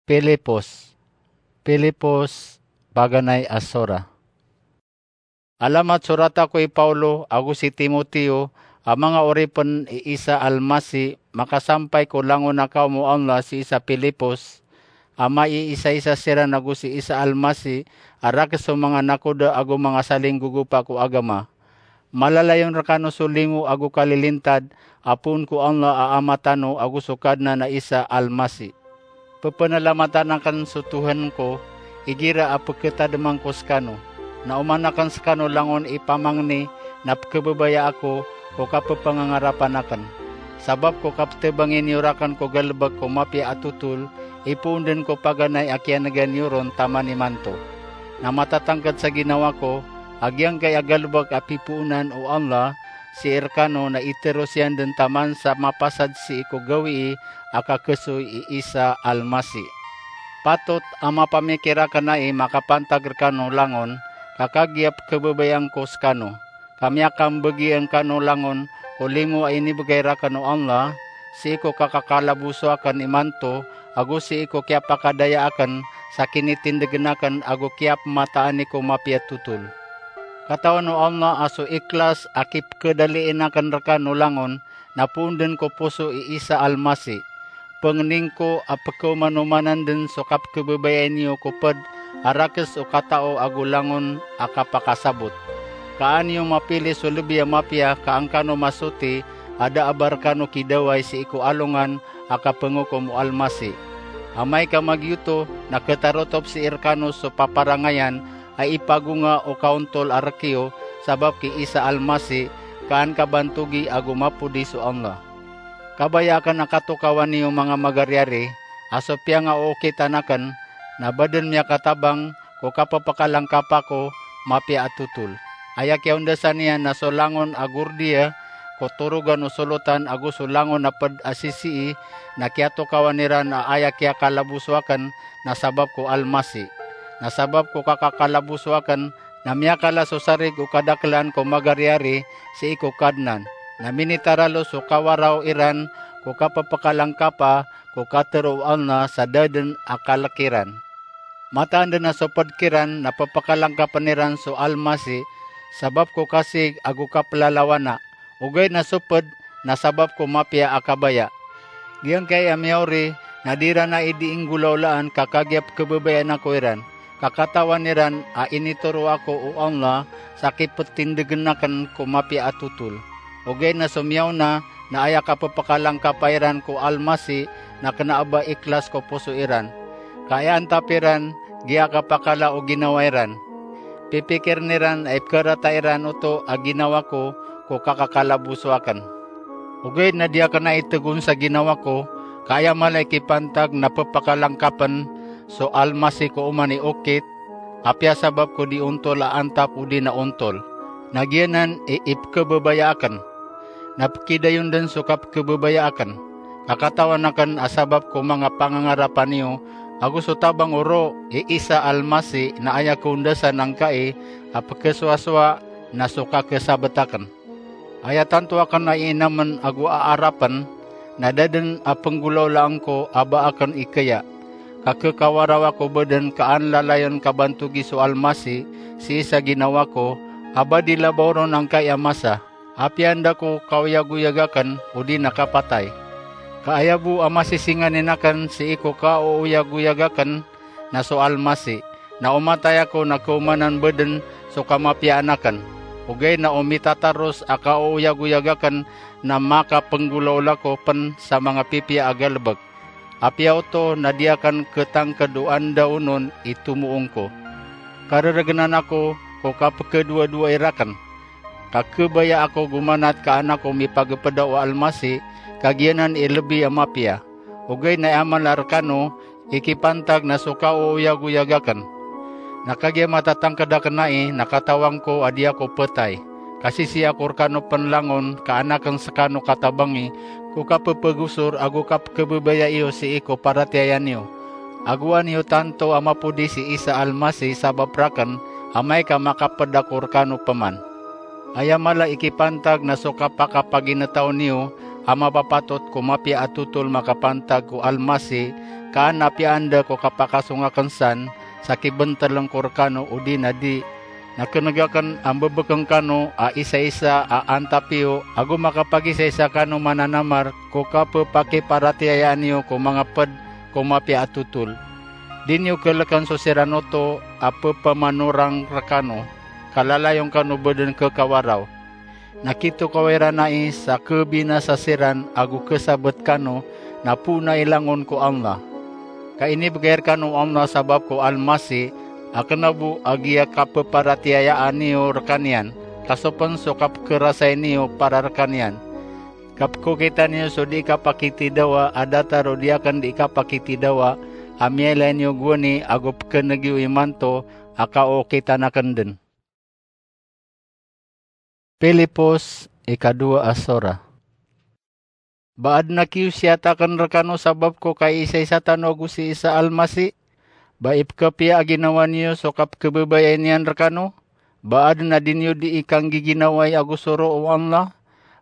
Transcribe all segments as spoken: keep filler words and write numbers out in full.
Filipos. Filipos, paganay a sora. Alamat sorata ko i Paulo ago si Timoteo a manga oripn i Isa Almasi, makasampay ko langon a kaom o Allah sii sa Filipos, a maiisaisa siran ago si Isa Almasi a rakes o manga nakoda ago manga salinggogopa ko agama. Malalayon rkano so limo ago kalilintad a poon ko Allah a Ama tano ago so Kadnan a Isa Almasi. Pphanalamatan akn so Tuhan ko igira a pkhatadman ko skano, na oman akn skano langon i pamangni na pkhababayaan ko ko kapphangangarapan akn. Sabap ko kapthabangi niyo rakn ko galbk ko mapiya a totol, ipoon dn ko paganay a kiyanega niyo ron taman imanto. Na matatangkd sa ginawa ko a giyangkai a galbk a pipoonan o Allah sii rkano na iteros iyan dn taman sa mapasad sii ko gawii a kakhasoy i Isa Almasi. Patot a mapamikir akn ai makapantag rkano langon ka kagiya pkhababayaan ko skano, ka miyakambagi angkano langon ko limo a inibgay rakn o Allah sii ko kakakalaboso akn imanto ago sii ko kiyapakadaya akn sa kinitindgn akn ago kiyapmataani ko mapiya a totol. Katawan o Allah a so ikhlas a kipkhadaliin akn rkano langon na poon dn ko poso i Isa Almasi. Pangnin ko a pkhaomanomanan dn so kapkhababayai niyo ko pd a rakes o katao ago langon a kapakasabot. Ka an iyo mapili so lbi a mapiya ka angkano masoti a da a ba rkano kidawai sii ko alongan a kapngokom o Almasi. Amay ka magiyoto na khatarotop sii rkano so paparangayan a ipagonga o kaontol a rk iyo sabap ki Isa Almasi, ka an kabantogi ago mapodi so Allah. Kabaya akn a katokawan iyo manga magariyari a so piyangaokitan akn na ba dn miyakatabang ko kapphkalangkapa ko mapiya a totol. Aya kiyaondasan iyan na so langon a gordiya ko torogan o solotan ago so langon a pd a sisii na kiyatokawan iran a aya kiyakalaboso akn na sabap ko Almasi. Na sabap ko kakakalaboso akn na miyakala so sarig o kadaklan ko magariyari sii ko Kadnan. Na minitaralo so kawaraw iran ko kapphkalangkapa ko katharo o Allah sa da dn a kalk iran. Mataan dn a so pd kiran na pphkalangkapn iran so Almasi sabap ko kasig ago kaplalawana, ogaid na so pd na sabap ko mapiya a kabaya. Giyangkai a miyaori na di iran ai dii nggolawlaan ka kagiya pkhababayaan ako iran, ka katawan iran a initoro ako o Allah sa kiptindgn akn ko mapiya a totol. Ogaid na so miyaona na aya kapphkalangkapa iran ko Almasi na kna a ba ikhlas ko poso iran. Ka aya antap iran giya kapakala o ginawa iran. Pipikirn iran a ipkharata iran oto a ginawa ko ko kakakalaboso akn. Ogaid na di akn ai tgon sa ginawa ko, ka aya mala i kipantag na pphkalangkapn so Almasi ko oman i okit, apiya sabap ko di ontol a antap odi na ontol. Na giyanan i ipkhababaya akn. Na pkidayon dn so kapkhababaya akn. Ka katawan akn a sabap ko manga pangangarapan iyo, ago so tabang o roo i Isa Almasi na aya kaondasan angkai a pkhasowasowa na so kakhasabt akn. Aya tanto akn a iinamn ago aarapn, na da dn a pnggolawlaan ko a ba akn ikaya. Ka khakawaraw ako bo dn ka an lalayon kabantogi so Almasi sii sa ginawa ko, a ba di labaw ron angkai a masa, apiya anda ko kaoyagoyag akn odi na kapatay. Ka aya bo a masisinganin akn sii ko kaoyagoyag akn na so Almasi, na o matay ako na khaomanan bo dn so kamapiyaan akn. Ogaid na o mitataros a kaoyagoyag akn na makapnggolawla ko pn sa manga pipiya a galbk. Apiya oto na di akn khatangkd o anda onon i tomoong ko. Kararagnan ako ko kapkhadowadowa irakn. Ka khabaya ako gomanat ka an ako mipagpda o Almasi, ka giyanan i lbi a mapiya. Ogaid na aya mala rkano i kipantag na so kaoyagoyag akn. Na kagiya matatangkd akn ai na katawan ko a di ako ptay. Ka sisii ako rkano pn langon ka an akn skano katabangi ko kappagosor ago kapkhababaya iyo sii ko paratiyaya niyo. Ago an iyo tanto a mapodi si Isa Almasi sabap rakn, amay ka makapd ako rkano pman. Aya mala i kipantag na so kapakapaginetaw niyo a mapapatot ko mapiya a totol makapantag ko Almasi, ka an a piyaan da ko kapakasong aken san sa kibentelen ko rekano odi na di, na keneg aken a mbebeken kano a isa-isa a antap iyo ago makapagisa-isa kano mananamar ko kapepakiparatiyayaan iyo ko manga ped ko mapiya a totol. Di niyo keleken so siran oto a pepemanorang rekano, ka lalayon kano beden kekawaraw. Na kitokaw iran ai sa kebinasa siran ago kesabet kano, na poon ai langon ko Allah. Ka inibegay rekano o Allah sabap ko Almasih, a kena bo a giya kapeparatiyayaan iyo rekaniyan, ka so pen so kapkerasay niyo para rekaniyan. Ka pekokita niyo so di kapakitidawa a datar o di aken di kapakitidawa a miyailay niyo gowani ago pekeneg iyo imanto a kaokitan aken den. Pilipos ikadowa a sora. Ba aden a kiyosiyat aken rekano sabap ko kaisaisa tano ago si Isa Almasih? Ba ipekepiya a ginawa niyo so kapekebabayai niyan rekano? Ba aden a di niyo di ikanggiginawai ago soro o Allah?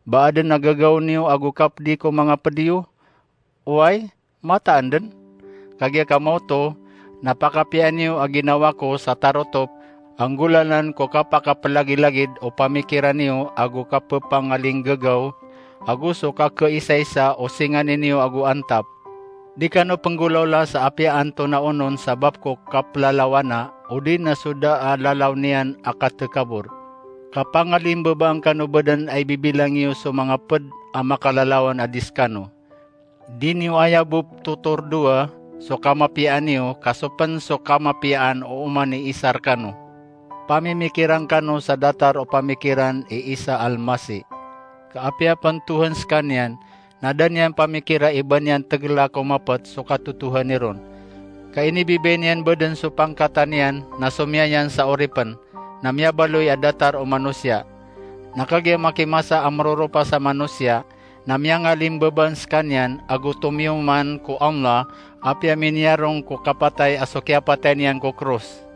Ba aden a gagaw niyo ago kapedi ko manga ped iyo? Oway, mataan den. Kagiya kamaoto, na pakapiyaan iyo a ginawa ko sa tarotop a nggolalan ko kapakapelagilagid o pamikiran iyo ago kapepangalinggagaw, ago so kakeisaisa o singanin iyo ago antap. Di kano penggolaola sa apiya antonaa onon sabap ko kaplalawana, odi na so da a lalaw niyan a katekabor. Ka pangalimbabaan kano beden a ibibilang iyo so manga ped a makalalawan a di sekano. Di niyo aya bo petotordoa so kamapiyaan iyo, ka so pen so kamapiyaan o oman i Isa rekano. Pamimikiran kano sa datar o pamikiran i Isa Almasih. Ka apiya pen Tohan sekaniyan, na da niyan pamikira i ba niyan tegela ko mapet so katotohani ron. Ka inibibay niyan beden so pangkatan iyan na somiyan iyan sa oripen, na miyabaloy a datar o manosiya. Na kagiya makimasa a meroropa sa manosiya, na miyangalimbabaan sekaniyan ago tomiyoman ko Allah, apiya miniyarong ko kapatay a so kiyapatay niyan ko kros.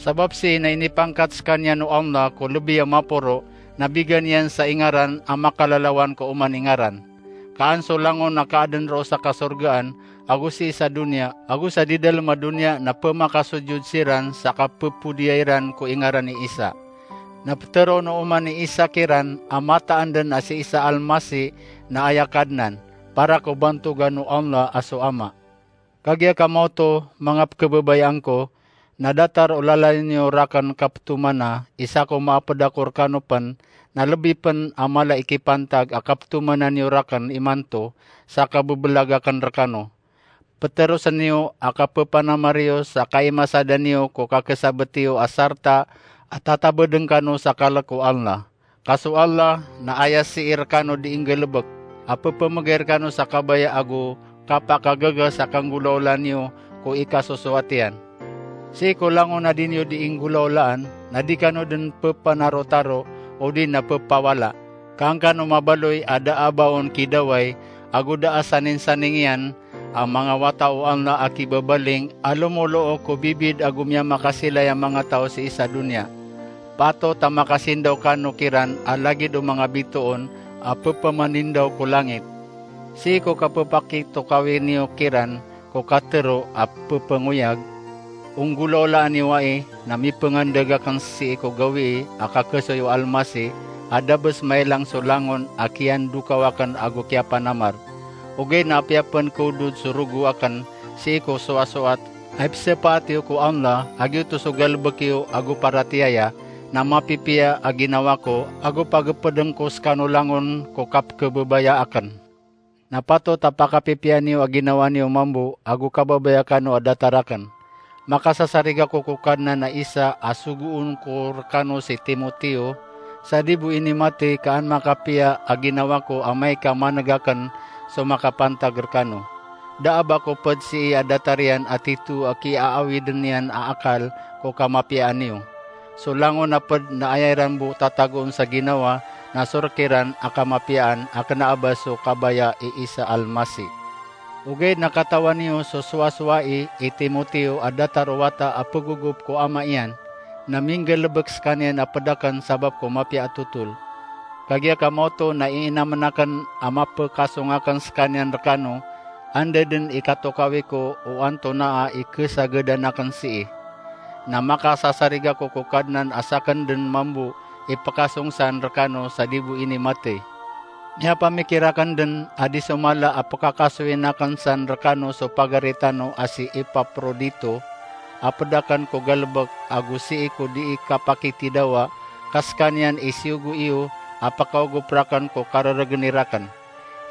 Sabap sii na inipangkat sekaniyan o Allah ko lebi a maporo, na bigan iyan sa ingaran a makalalawan ko oman i ngaran. Ka an so langon a kaaden roo sa kasorgaan, ago sii sa doniya, ago sa di dalem a doniya na pemakasojod siran sa kapepodiya iran ko ingaran i Isa. Na peteroon o oman i Isa kiran a mataan den a si Isa Almasih na aya Kadnan, para ko bantogan o Allah a so Ama. Kagiya kamaoto, manga pekebabayaan ko, na datar o lalayon iyo raken kapetomana, isa ko maaped ako rekano pen, na lebi pen a mala i kipantag a kapetomana niyo raken imanto sa kabebelag aken rekano. Peterosen iyo a kapepanamar iyo sa kaimasadan iyo ko kakesabet iyo a sarta a tatabeden kano sa kalek o Allah. Ka so Allah na aya sii rekano di inggalebek a pepemegay rekano sa kabaya ago kapakagaga sa kanggolaolaan iyo ko ikasosoat iyan. Sii ko langon a di niyo di inggolaolaan, na di kano den pepanarotaro odi na pepawala. Ka an kano mabaloy a da a ba on kidaway ago da a saningsaning iyan a manga wata o Allah a kibabaling a lomoloo ko bibid ago miyamakasilay a manga taw sii sa doniya. Patot a makasindaw kano kiran a lagid o manga bitoon a pepemanindaw ko langit. Sii ko kapepakitokawi niyo kiran ko katero a pepengoyag, o nggolaolaan iyo ai na mipengandeg aken sii ko gawii a kakesoy o Almasih a da bes mailang so langon a kiyandokaw aken ago kiyapanamar. Ogaid na apiya pen kaodod so rogo aken sii ko soasoat a ipesepaat iyo ko Allah, a giyoto so galebek iyo ago paratiyaya, na mapipiya a ginawa ko ago pagepeden ko sekano langon ko kapekebebaya aken. Na patot a pakapipiya niyo a ginawa niyo mambo ago kababaya kano a datar aken. Makasasariga ko ko Kadnan a Isa a sogoon ko rekano si Timoteo, sa di bo inimati ka an makapiya a ginawa ko amay ka maneg aken so makapantag rekano. Da a ba ko ped sii a datar iyan a tito a kiaawiden iyan a akal ko kamapiyaan iyo. So langon a ped na aya iran bo tatagoon sa ginawa na so rek iran a kamapiyaan a kena a ba so kabaya i Isa Almasih. Ogaid na katawan iyo so sowasowai i Timoteo a datar o wata a pegogop ko ama iyan, na minggalebek sekaniyan a ped aken sabap ko mapiya a totol. Kagiya kamaoto na iinamen aken a mapekasong aken sekaniyan rekano, Anda den i katokawi ko o antonaa i kesagadan aken sii. Na makasasarig ako ko Kadnan a saken den mambo i pekasong san rekano sa di bo ini matey. Miyapamikir aken den a di so mala a pekakasoyin aken san rekano so pagari tano a si Epaprodito, a ped aken ko galebek ago sii ko dii kapakitidawa, ka sekaniyan i siyogo iyo a pekaogop raken ko kareregen i raken.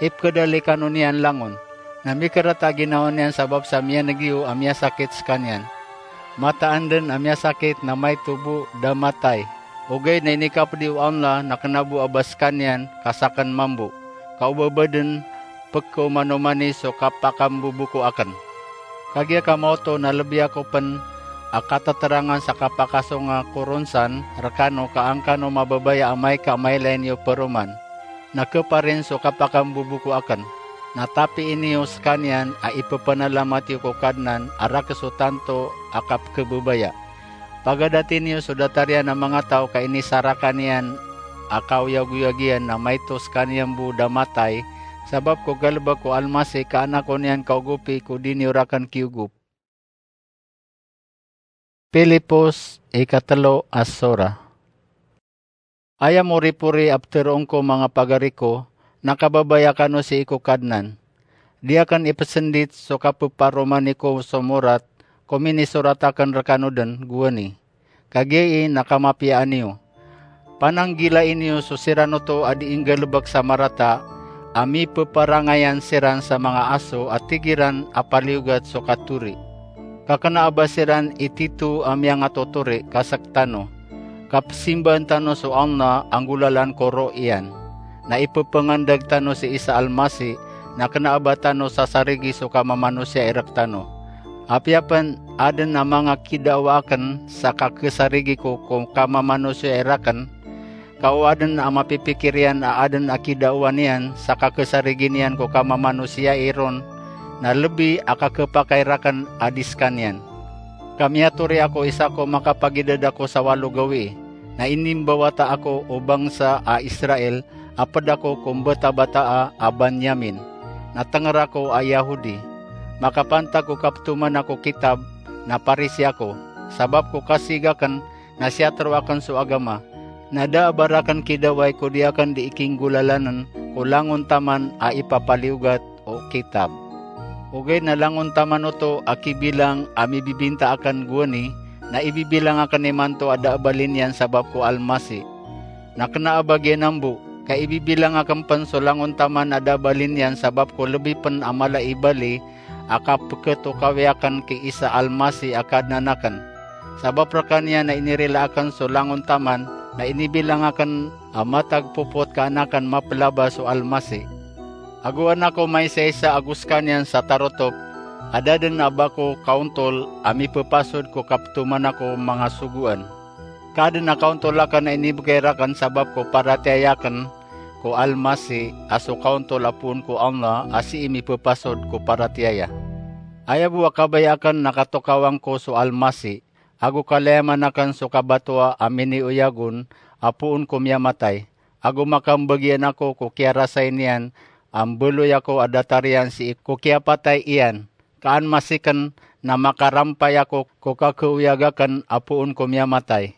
Ipekedali kano niyan langon. Na mikerata ginawa niyan sabap sa miyaneg iyo a miyasakit sekaniyan. Mataan den a miyasakit na maito bo da matay. Ogaid na inikapedi o Allah na kena bo a ba sekaniyan ka saken mambo. Ka o ba ba den pekeomanomani so kapakamboboko aken. Kagiya ka maoto na lebi ako pen a kateterangan sa kapakasonga ko ron san rekano ka angkano mababaya amay ka mailay niyo peroman. Na keparin so kapakamboboko aken. Na tapii niyo sekaniyan a ipepanalamat iyo ko Kadnan a rakeso tanto a kapekebebaya. Pagadati niyo so datar iyan a manga taw ka inisarakan iyan a kaoyagoyag iyan na maito sekaniyan bo da matay, sabap ko galebek ko Almasih ka anakon iyan kaogopi ko di niyo raken kiyogop. Pilipos ikatelo a sora. Aya moripori a peteroon ko manga pagari ko, na kababaya kano sii ko Kadnan. Di aken ipesendit so kapeparomani ko so morat ko minisorat aken rekano den gowani. Kagiya i na kamapiyaan iyo. Pananggilai niyo so siran oto a di inggalebek sa marata a mipeparangayan siran sa manga aso a tig iran a paliyogat so katori. Ka kena a ba siran i tito a miyangatotori ka sektano. Kapesimbaan tano so Allah a nggolalan ko roh iyan. Na ipepengandag tano si Isa Almasih, na kena a ba tano sasarigi so kamamanosia i rektano. Apiya pen aden a manga kidawa aken sa kakesarigi ko ko kamamanosia i raken, ka o aden a mapipikir iyan a aden a kidawa niyan sa kakesarigi niyan ko kamamanosia i ron, na lebi a kakepakay raken a di sekaniyan. Ka miyatori ako isa ko makapagidad ako sa walo gawii, na inimbawata ako o bangsa a Israel a ped ako ko mbatabataa a Banyamin, na tenger ako a Yahudi. Makapantag ko kapetoman ako kitab, na Parisi ako, sabap ko kasig aken na siyatero aken so agama. Na da a ba raken kidawai ko di aken di ikinggolalanen ko langon taman a ipapaliyogat o kitab. Ogaid na langon taman oto a kibilang a mibibinta aken gowani, na ibibilang aken imanto a da a bali niyan sabap ko Almasih. Na kena a ba giyanan bo, ka ibibilang aken pen so langon taman a da a bali niyan sabap ko lebi pen a mala i bali a kapeketokawi aken ki Isa Almasih a Kadnan aken. Sabap rekaniyan na inirila aken so langon taman, na inibilang aken a matag popot ka an aken mapelabas o Almasih. Ago an ako maisaisa ago sekaniyan sa tarotop, a da den a ba ko kaontol a mipepasod ko kapetoman ako manga sogoan. Ka aden a kaontol aken a inibegay raken sabap ko paratiyaya aken ko Almasih a so kaontol a poon ko Allah a sii mipepasod ko paratiyaya. Aya bo a kabaya aken na katokawan ko so Almasih, ago kalayaman aken so kabatoa a minioyagon a poon ko miyamatay, ago makambagian ako ko kiyarasay niyan a mbaloy ako a datar iyan sii ko kiyapatay iyan, ka an masiken na makarampay ako ko kakeoyag aken a poon ko miyamatay.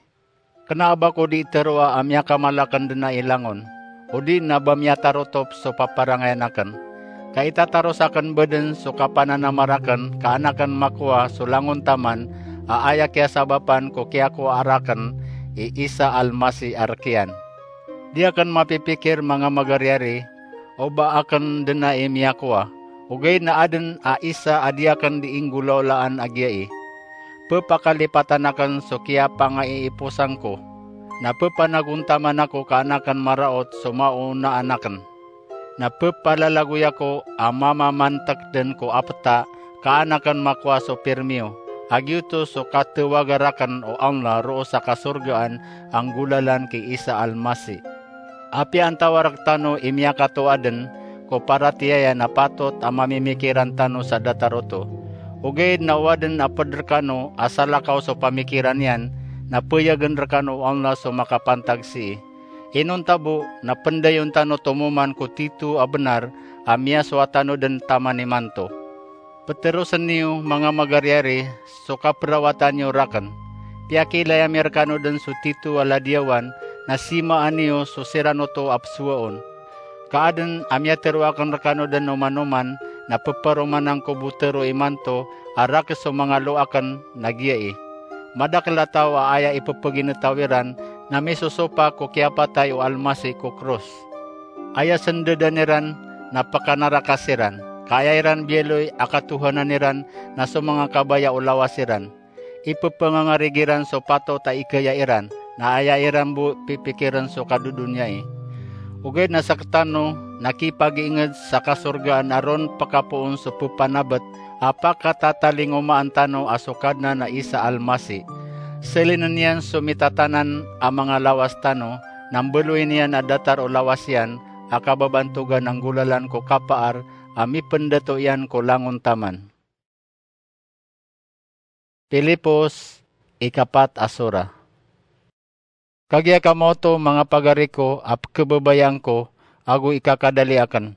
Kena a ba ko di teroa a miyakamal aken den a ilangon, odi na ba miyatarotop so paparangayan aken. Ka itataros aken bo den so kapananamar aken ka an aken makowa so langon taman a aya kiyasabapan ko kiyakowa raken i Isa Almasih a rek iyan. Di aken mapipikir manga magariyari, o ba aken den a imiyakowa, ogaid na aden a isa a di aken di inggolaolaan a giyai. Pepakalipatan aken so kiyapangaiiposan ko, na pepanagontaman ako ka an aken maraot so maonaan aken. Na pepalalagoy ako a mamamantek den ko apeta ka an aken makowa so pirmiyo, a giyoto so katewaga raken o Allah roo sa kasorgaan a nggolalan ki Isa Almasih. Apiya antawaa rektano i miyakatoa den ko paratiyaya na patot a mamimikiran tano sa datar oto. Ogaid na o aden a ped rekano a salakaw so pamikiran iyan, na peyagen rekano o Allah so makapantag sii. Inonta bo na pndayon tano tomo man ko tito a bnar a miyasowa tano dn taman imanto. Ptrosn iyo, manga magariyari, so kaprawatan iyo rakn. Piyakiilay ami rkano dn so tito a ladiyawan, na simaan iyo so siran oto a psowaon. Ka adn a miyatharo akn rkano dn oman-oman, na pparomanan ko bo tharo imanto a rakhs o manga loa akn, na giyai: Madakl a taw a aya ippagintaw iran na misosopak ko kiyapatay o Almasih ko kros. Aya sndadan iran na pkanaraka siran, ka aya iran biyaloy a katohanan iran na so manga kabaya o lawas iran. Ipphangangarig iran so patot a ikaya iran, na aya iran bo pipikirn so kadodoniyai. Ogaid na sktano na kipagiingd sa kasorgaan a ron pkapoon so pphanabt a pakatatalingomaan tano a so Kadnan a isa Almasih. Slin iyan so mitatanan a manga lawas tano, na mbaloy niyan a datar o lawas iyan a kababantogan a nggolalan ko kapaar a mipndato iyan ko langon taman. Pilipos, ikapat a sura. Kagiya kamo oto, manga pagari ko, a pkhababayaan ko ago ikakadali akn,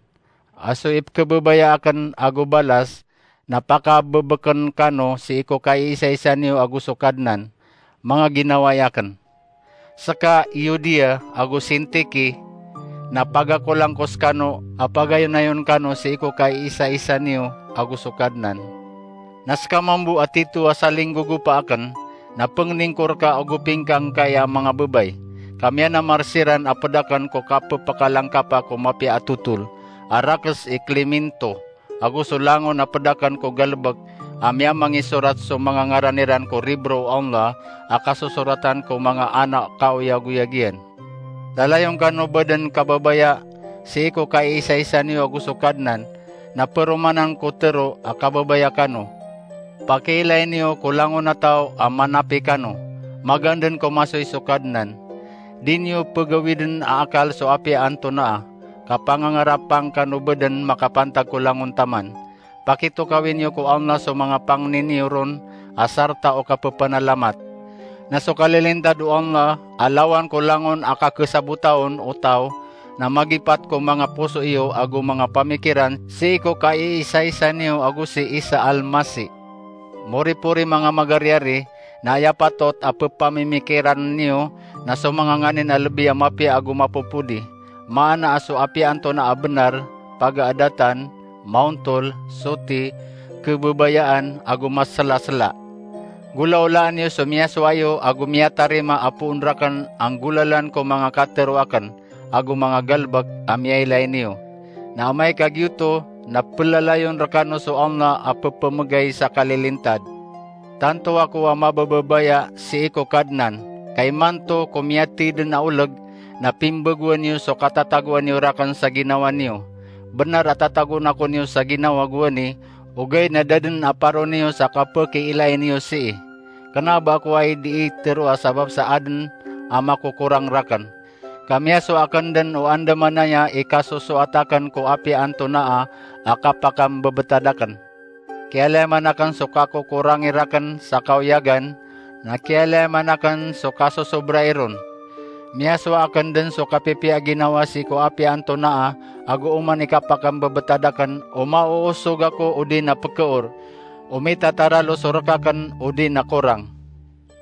a so ipkhababaya akn ago balas na pakabbkn kano sii ko kaiisaisa niyo ago so Kadnan, manga ginawai akn. Ska Euodia ago Sintike na pagakolang ko skano a pagayonayon kano sii ko kaiisaisa niyo ago so Kadnan. Na ska mambo a Tito a salinggogopa akn na pngningkor ka ago pingkangkai a manga babay, ka miyanamar siran a pd akn ko kapphkalangkapa ko mapiya a totol, a rakhs i Klemento, ago so langon a pd akn ko galbk a miyamangisorat so manga ngaran iran ko libro o Allah a kasosoratan ko manga ana kaoyagoyag iyan. Lalayon kano bo dn kababaya sii ko kaiisaisa niyo ago so Kadnan, na paromanan ko tharo a kababaya kano. Pakiilay niyo ko langon a taw a manapi kano, magaan dn ko masoy so Kadnan. Di niyo pgawidn a akal so apiya antonaa, ka pangangarapang kano bo dn makapantag ko langon taman. Pakitokawi niyo ko Allah so manga pangni niyo ron a sarta o kappanalamat. Na so kalilintad o Allah a lawan ko langon a kakhasabotaon o taw, na magipat ko manga poso iyo ago manga pamikiran sii ko kaiisaisa niyo ago si Isa Almasih. Moripori, manga magariyari, na aya patot a pphamimikiran niyo na so manga nganin a lbi a mapiya ago mapopodi, maana a so apiya antonaa a bnar, pagaadatan, maontol, soti, khababayaan, ago maslasla. Golaolaan iyo so miyasowa iyo ago miyatarima a poon rakn a nggolalan ko manga katharo akn ago manga galbk a miyailay niyo. Na amay ka giyoto, na plalayon rkano so Allah a pphamgay sa kalilintad. Tanto ako a mabababaya sii ko Kadnan, ka imanto ko miyathay dn a oleg na pimbagoan iyo so katatagoan iyo rakn sa ginawa niyo. Bnar a tatagoon ako niyo sa ginawa gowani, ogaid na da dn a paro niyo sa kapakiilay niyo sii. Kna ba ako a dii tharoa sabap sa adn a makokorang rakn. Ka miyasowa akn dn o andamanaya i kasosoat akn ko apiya antonaa a kapakambebetad akn. Kiyalayaman akn so kakokorangi rakn sa kaoyagan, na kiyalayaman akn so kasosobrai ron. Miyasowa akn dn so kapipiya a ginawa sii ko apiya antonaa, ago oman i kapakambebetad akn o maoosog ako odi na pkhaor, o mitataralo so rk akn odi na korang.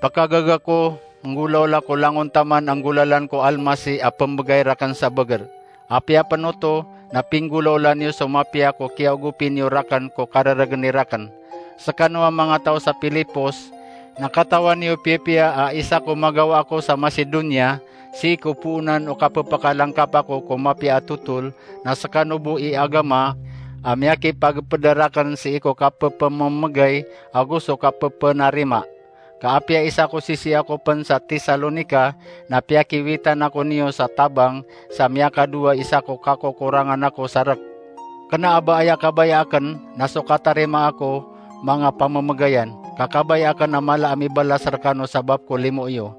Pakagaga ko, nggolaola ko langon taman a nggolalan ko Almasih a pmbgay rakn sa bagr. Apiya pn oto, na pinggolaola niyo so mapiya ko kiyaogopi niyo rakn ko kararagni rakn. Skano a manga taw sa Pilipos, na katawan iyo piyapiya a isa ko magawa ako sa Macedonia, sii ko poonan o kapphkalangkapa ko ko mapiya a totol, na skano bo i agama a miyakipagpda rakn sii ko kapphmamgay ago so kapphpnarima. Ka apiya isa ko sisii ako pn sa Tesalonica, na piyakiwitan ako niyo sa tabang sa miyakadowa isa ko kakokorangan ako sa rk. Kna a ba aya kabaya akn na so katarimaa ko manga pamamgayan, ka kabaya akn a mala a mibalas rkano sabap ko limo iyo.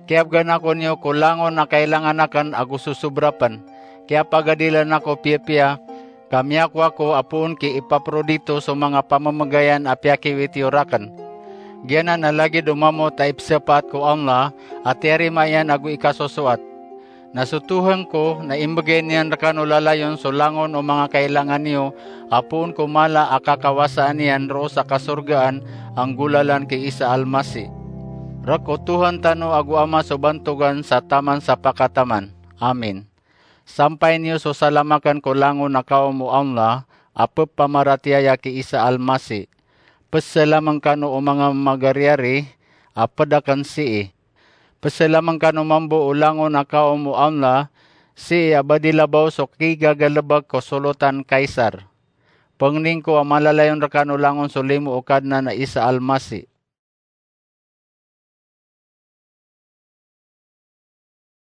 Kiyabgan ako niyo ko langon a kailangan akn ago sosobra pn. Kiyapagadilan ako piyapiya, ka miyakowa ko a poon ki Epafrodito so manga pamamgayan a piyakiwit iyo rakn. Giyanan a lagid o mamot a ipsapaat ko Allah a tiyarima iyan ago ikasosoat. Na so Tuhan ko na imbegay niyan rekano lalayon so langon o manga kailangan iyo, a poon ko mala a kakawasaan iyan roo sa kasorgaan a nggolalan ki Isa Almasi. Rek o Tuhan tano ago Ama so bantogan sa taman sa pakataman. Amin. Sampay niyo so salamaken ko langon a kaom o Allah a pepamaratiyaya ki Isa Almasi. Peselamen kano o manga magariyari a pedaken sii. Peselamen kano mambo o langon a kaom o Allah, sii a ba di labaw so kigagalebek ko solotan Kaisar. Pengning ko a malalayon rekano langon so limo o Kadnan a Isa Almasi.